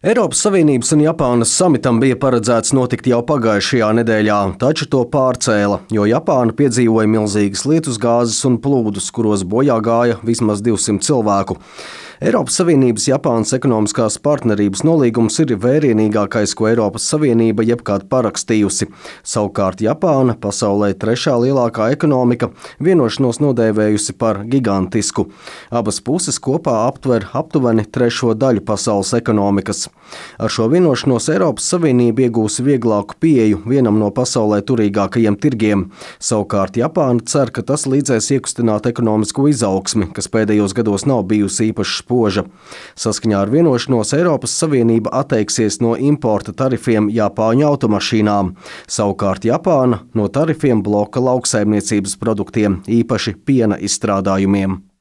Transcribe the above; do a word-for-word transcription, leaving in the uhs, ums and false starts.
Eiropas Savienības un Japānas samitam bija paredzēts notikt jau pagājušajā nedēļā, taču to pārcēla, jo Japāna piedzīvoja milzīgas lietusgāzes un plūdus, kuros bojā gāja vismaz divsimt cilvēku. Eiropas Savienības Japānas ekonomiskās partnerības nolīgums ir vērienīgākais, ko Eiropas Savienība jebkad parakstījusi. Savukārt Japāna, pasaulē trešā lielākā ekonomika, vienošanos nodēvējusi par gigantisku. Abas puses kopā aptver aptuveni trešo daļu pasaules ekonomikas. Ar šo vienošanos Eiropas Savienība iegūs vieglāku pieeju vienam no pasaulē turīgākajiem tirgiem. Savukārt Japāna cer, ka tas līdzēs iekustināt ekonomisko izaugsmi, kas pēdējos gados nav bijusi īpaši spoža. Saskaņā ar vienošanos Eiropas Savienība atteiksies no importa tarifiem Japāņu automašīnām. Savukārt Japāna no tarifiem bloka lauksaimniecības produktiem, īpaši piena izstrādājumiem.